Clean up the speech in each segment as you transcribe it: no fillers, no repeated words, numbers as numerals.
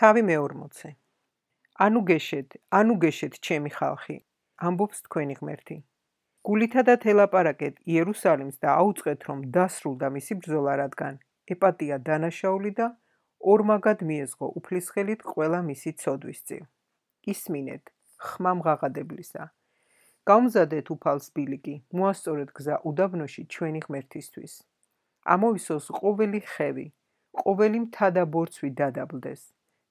თავი მე-40. ანუ გეშეთ ჩემი ხალხი, ამბობს თქვენი ღმერთი. გულითა და თელაპარაკეთ იერუსალიმს და აუწყეთ, რომ დასრულდა მისი ბრძოლა, რადგან ეპატია დანაშაული და ორმაგად მიეზღო უფლისხელით ყველა მისი ცოდვის წილ. ისმინეთ, ხმა მღაღადებლისა. გაუმზადეთ უფალს ბილიკი, მოასწორეთ გზა უდაბნოში ჩვენი ღმერთისთვის. ამოვისოს ყოველი ხევი, ყოველი მთა და ბორცვი დადაბლდეს.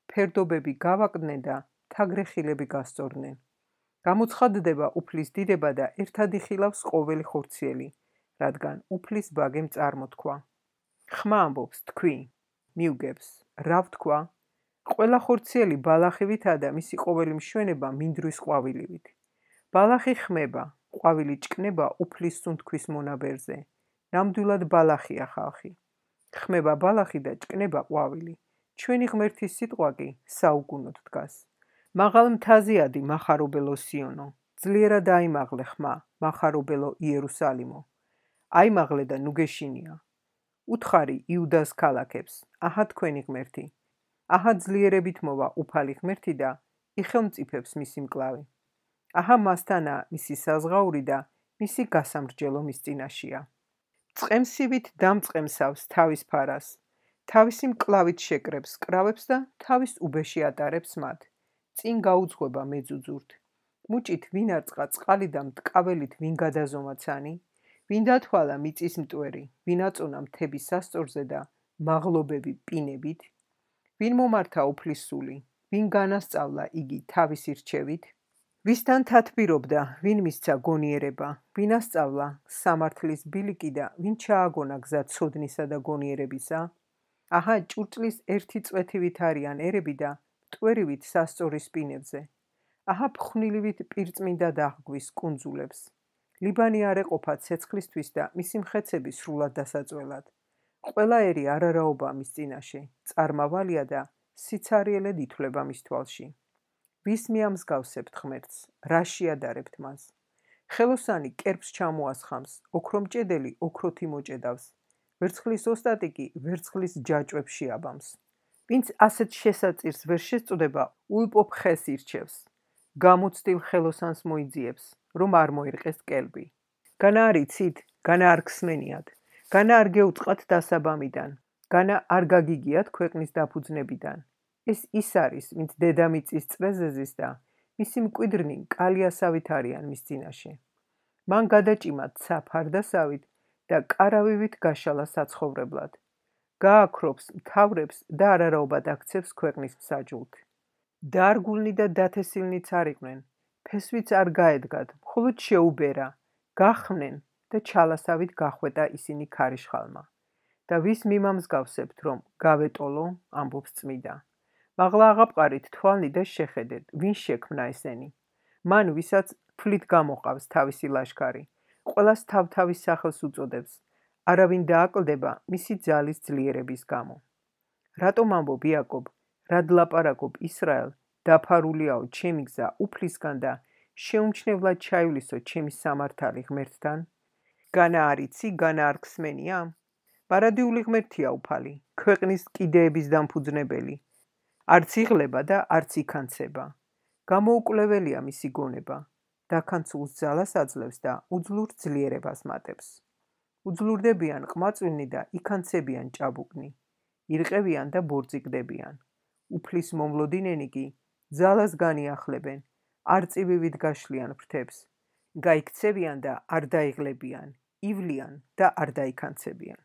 ფერდობები გავაკდნენ და თაგრეხილები გასწორდნენ. გამოცხადდება უფლის დიდება და ერთად იხილავს ყოველი ხორციელი, რადგან უფლის ბაგემ წარმოთქვა. ხმა ამბობს, თქვი, მიუგებს, რა ვთქვა? ყველა ხორციელი ბალახივითა და მისი ყოველი მშვენება მინდვრის ყვავილივით. ბალახი ხმება, ყვავილი ჭკნება უფლის სუნთქვის მონაბერზე. ნამდვილად ბალახია ხალხი. ხმება ბალახი და ჭკნება ყვავილი. ჩვენი ღმერთის სიტყვა კი საუკუნოდ დგას. მაღალ მთაზეადი მახარობელო სიონო, ძლიერად აიმაღლე ხმა, მახარობელო იერუსალიმო. აიმაღლე და ნუ გეშინია. უთხარი იუდას ქალაქებს, აჰა თქვენი ღმერთი. აჰა ძლიერებით მოვა უფალი ღმერთი და იხელმწიფებს მისი მკლავი. აჰა მასთანაა მისი საზღაური და მისი გასამრჯელო მის წინაშია. წყემსივით დამწყემსავს თავის ფარას, თავისი მკლავით შეკრებს კრავებს და თავის უბეში ატარებს მათ. წინ გაუძღვება მეძუძურთ. მუჭით ვინ არწყა წყალი და მტკაველით ვინ გადაზომა ცანი, ვინ დათვალა მიწის მტვერი, ვინ აწონა მთების სასწორზე და მაღლობები პინებით, ვინ მომართა უფლის სული, ვინ განასწავლა იგი თავისი რჩევით, ვისთან თათბირობდა, ვინ მისცა გონიერება, ვინ ასწავლა სამართლის ბილიკი და ვინ ჩააგონა გზა ცოდნისა და გონიერებისა. აჰა ჭურჭლის ერთი წვეთივით არიან ერები და მტვერივით სასწორის პინებზე. აჰა ფხვნილივით პირწმინდა დაღგვის კუნძულებს. ლიბანი არ ეყოფა ცეცხლისთვის და მისი მხეცები სრულად დასაწველად. ყველა ერი არარაობა მის წინაშე, წარმავალია და სიცარიელედ ითვლება მის თვალში. ვის მიამსგავსებთ ღმერთს, რა შეადარებთ მას? ხელოსანი კერპს ჩამოასხამს, ოქრომჭედელი ოქროთი იმოჭედავს, ვერცხლის ოსტატი კი ვერცხლის ჯაჭვებს შეაბამს. ვინც ასეთ შესაწირს ვერ შესწვდება, ულპობ ხეს ირჩევს. გამოცდილ ხელოსანს მოიძიებს, რომ არ მოირყეს კელბი. განა არ იცით, განა არ გსმენიათ, განა არ გეუწყათ დასაბამიდან, განა არ გაგიგიათ ქვეყნის დაფუძნებიდან. ეს ის არის, ვინც დედამიწის წვეზეზის და მისი მკვიდრნი კალიასავით არიან მის წინაშე. მან გადაჭიმა ცა ფარდასავით და კარავივით გაშალა საცხოვრებლად. გააქრობს მთავრებს და არარაობად აქცევს ქვეყნის მსაჯულთ. დარგულნი და დათესილნიც არ იყვნენ, ფესვიც არ გაედგათ, მხოლოდ შეუბერა, გახმნენ და ჩალასავით გახვეტა ისინი ქარიშხალმა. და ვის მიმამსგავსებთ, რომ გავეტოლო, ამბობს წმიდა. მაღლა აღაპყარით თვალნი და შეხედეთ, ვინ შექმნა ესენი. მან ვისაც ფლით გამოყავს თავისი ლაშქარი, ყველას თავთავის სახელს უწოდებს, არავინ დააკლდება მისი ძალის ძლიერების გამო. რატომ ამბობ იაკობ, რად ლაპარაკობ ისრაელ, დაფარულიაო ჩემი გზა უფლისგან და შეუმჩნევლად ჩაივლისო ჩემი სამართალი ღმერთთან? განა არ იცი, განა არ გსმენია? პარადიული ღმერთია უფალი, ქვეყნის კიდეების დამფუძნებელი. არც იღლება და არც იქანცება. გამოუკვლეველია მისი გონება. დაქანცულს ძალას აძლევს და უძლურ ძლიერებას მატებს. უძლურდებიან ყმაწვილნი და იქანცებიან ჭაბუკნი. ირყევიან და ბორწიკდებიან. უფლის მომლოდინენი კი ძალას განიახლებენ, არწივივით გაშლიან ფრთებს. გაიქცევიან და არ დაიღლებიან, ივლიან და არ დაიქანცებიან.